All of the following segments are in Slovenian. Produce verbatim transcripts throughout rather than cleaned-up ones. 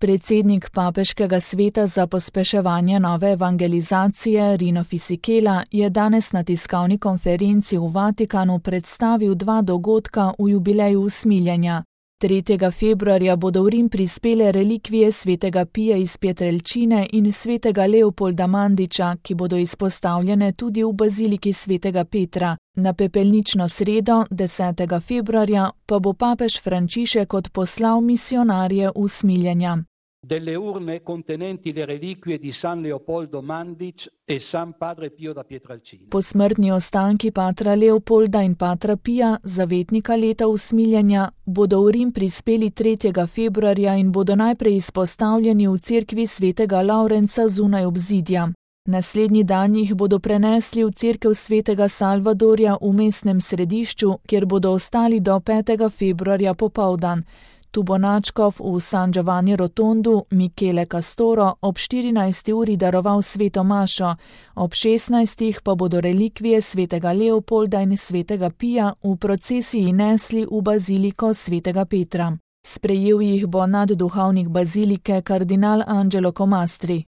Predsednik Papeškega sveta za pospeševanje nove evangelizacije Rino Fisichella je danes na tiskovni konferenci v Vatikanu predstavil dva dogodka v jubileju usmiljenja. tretjega februarja bodo v Rim prispele relikvije svetega Pija iz Pietrelcine in svetega Leopolda Mandiča, ki bodo izpostavljene tudi v baziliki svetega Petra. Na pepelnično sredo, desetega februarja, pa bo papež Frančišek odposlal misionarje usmiljenja. Delle urne contenenti le reliquie di San Leopoldo Mandić e San Padre Pio da Pietrelcina. Posmrtni ostanki patra Leopolda in patra Pija, zavetnika leta usmiljenja, bodo v Rim prispeli tretjega februarja in bodo najprej izpostavljeni v cerkvi svetega Lavrenca zunaj obzidja. Naslednji dan jih bodo prenesli v cerkev svetega Salvadorja v mestnem središču, kjer bodo ostali do petega februarja popoldan. Tu bo nadškof v San Giovanni Rotondu Michele Castoro ob štirinajsti uri daroval sveto mašo, ob šestnajstih pa bodo relikvije svetega Leopolda in svetega Pija v procesiji nesli v baziliko svetega Petra. Sprejel jih bo nadduhovnik bazilike kardinal Angelo Comastri.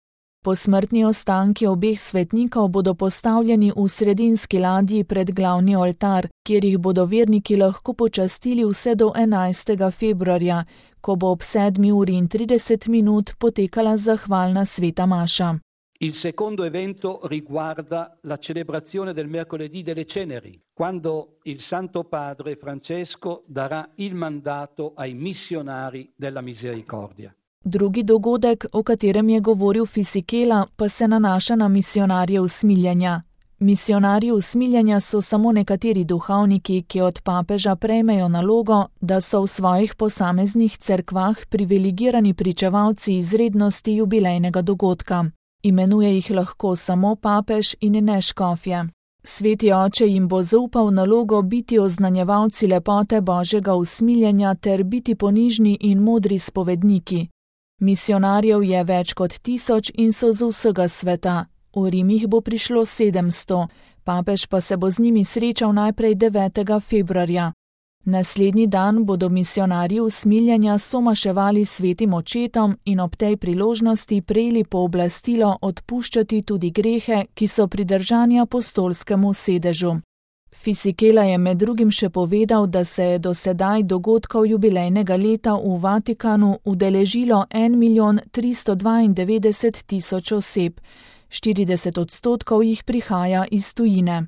Posmrtni ostanki obeh svetnikov bodo postavljeni v sredinski ladji pred glavni oltar, kjer jih bodo verniki lahko počastili vse do enajstega februarja, ko bo ob sedmi uri in trideset minut potekala zahvalna sveta maša. Il secondo evento riguarda la celebrazione del mercoledì delle ceneri, quando il Santo Padre Francesco darà il mandato ai missionari della misericordia. Drugi dogodek, o katerem je govoril Fisichella, pa se nanaša na misionarje usmiljenja. Misionarji usmiljenja so samo nekateri duhovniki, ki od papeža prejmejo nalogo, da so v svojih posameznih cerkvah privilegirani pričevalci izrednosti jubilejnega dogodka. Imenuje jih lahko samo papež in ne škofje. Sveti oče jim bo zaupal nalogo biti oznanjevalci lepote Božjega usmiljenja ter biti ponižni in modri spovedniki. Misionarjev je več kot tisoč in so z vsega sveta. V Rim jih bo prišlo sedemsto, papež pa se bo z njimi srečal najprej devetega februarja. Naslednji dan bodo misionarji usmiljenja somaševali svetim očetom in ob tej priložnosti prejeli pooblastilo odpuščati tudi grehe, ki so pridržani apostolskemu sedežu. Fisichella je med drugim še povedal, da se je do sedaj dogodkov jubilejnega leta v Vatikanu udeležilo en milijon tristo dvaindevetdeset tisoč oseb, štirideset odstotkov jih prihaja iz tujine.